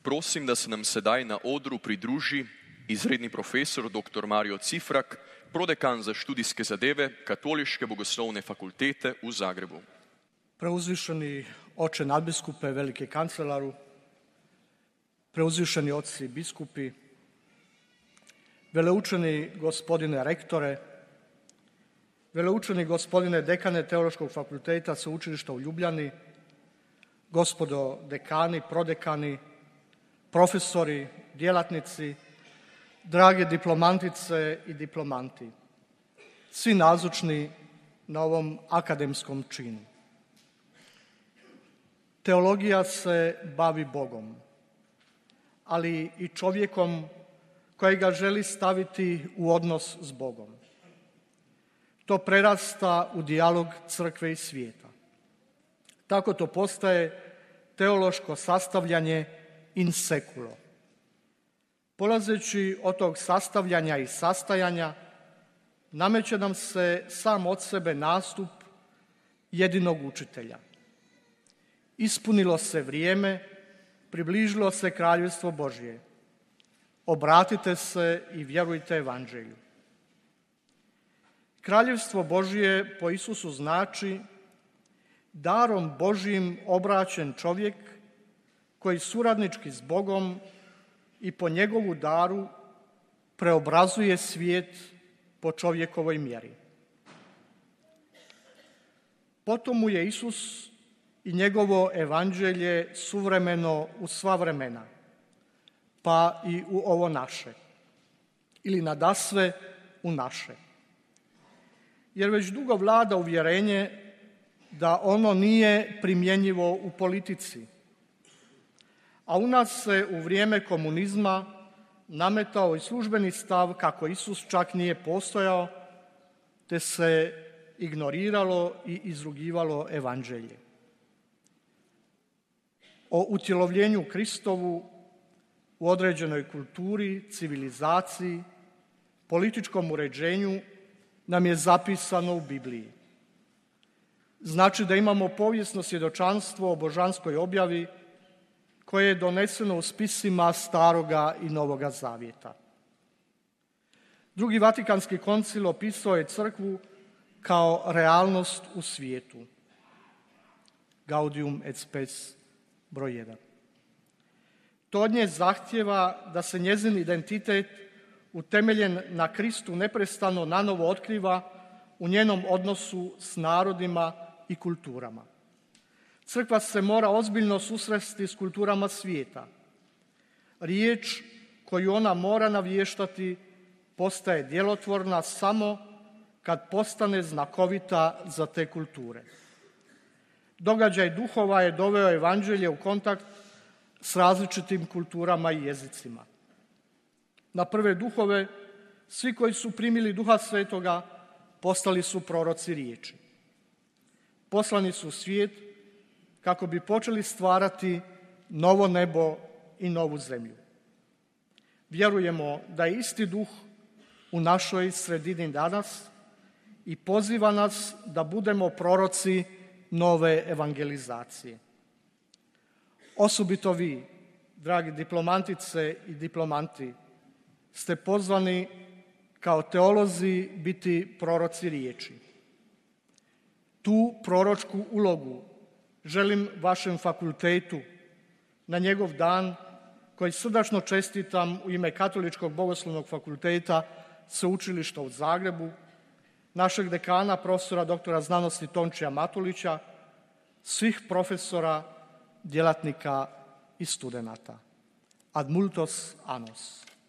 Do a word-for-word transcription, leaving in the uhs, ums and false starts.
prosim, da se nam sedaj na odru pridruži izredni profesor doktor Mario Cifrak, prodekan za študijske zadeve Katoliške bogoslovne fakultete u Zagrebu. Preuzvišeni oče nadbiskupe, veliki kancelaru, preuzvišeni oci biskupi, veleučeni gospodine rektore, veleučeni gospodine dekane Teološkog fakulteta Sveučilišta u Ljubljani, gospodo dekani, prodekani, profesori, djelatnici, drage diplomantice i diplomanti, svi nazočni na ovom akademskom činu. Teologija se bavi Bogom, ali i čovjekom kojega želi staviti u odnos s Bogom. To prerasta u dijalog crkve i svijeta. Tako to postaje teološko sastavljanje in seculo. Polazeći od tog sastavljanja i sastajanja, nameće nam se sam od sebe nastup jedinog učitelja. Ispunilo se vrijeme, približilo se kraljevstvo Božje. Obratite se i vjerujte evanđelju. Kraljevstvo Božje po Isusu znači darom Božjim obraćen čovjek koji suradnički s Bogom i po njegovu daru preobrazuje svijet po čovjekovoj mjeri. Potom mu je Isus i njegovo evanđelje suvremeno u sva vremena, pa i u ovo naše, ili nadasve u naše. Jer već dugo vlada uvjerenje da ono nije primjenjivo u politici, a u nas se u vrijeme komunizma nametao i službeni stav kako Isus čak nije postojao, te se ignoriralo i izrugivalo evanđelje. O utjelovljenju Kristovu u određenoj kulturi, civilizaciji, političkom uređenju nam je zapisano u Bibliji. Znači da imamo povijesno svjedočanstvo o božanskoj objavi koje je doneseno u spisima Staroga i Novoga Zavjeta. Drugi Vatikanski koncil opisao je crkvu kao realnost u svijetu. Gaudium et Spes broj jedan. To od nje zahtjeva da se njezin identitet utemeljen na Kristu neprestano nanovo otkriva u njenom odnosu s narodima i kulturama. Crkva se mora ozbiljno susresti s kulturama svijeta. Riječ koju ona mora navještati postaje djelotvorna samo kad postane znakovita za te kulture. Događaj duhova je doveo evanđelje u kontakt s različitim kulturama i jezicima. Na prve duhove svi koji su primili Duha Svetoga postali su proroci riječi. Poslani su u svijet kako bi počeli stvarati novo nebo i novu zemlju. Vjerujemo da je isti duh u našoj sredini danas i poziva nas da budemo proroci nove evangelizacije. Osobito vi, dragi diplomantice i diplomanti, ste pozvani kao teolozi biti proroci riječi. Tu proročku ulogu želim vašem fakultetu na njegov dan, koji srdačno čestitam u ime Katoličkog bogoslovnog fakulteta Sveučilišta u Zagrebu, našeg dekana, profesora doktora znanosti Tončija Matulića, svih profesora, djelatnika i studenata. Ad multos annos.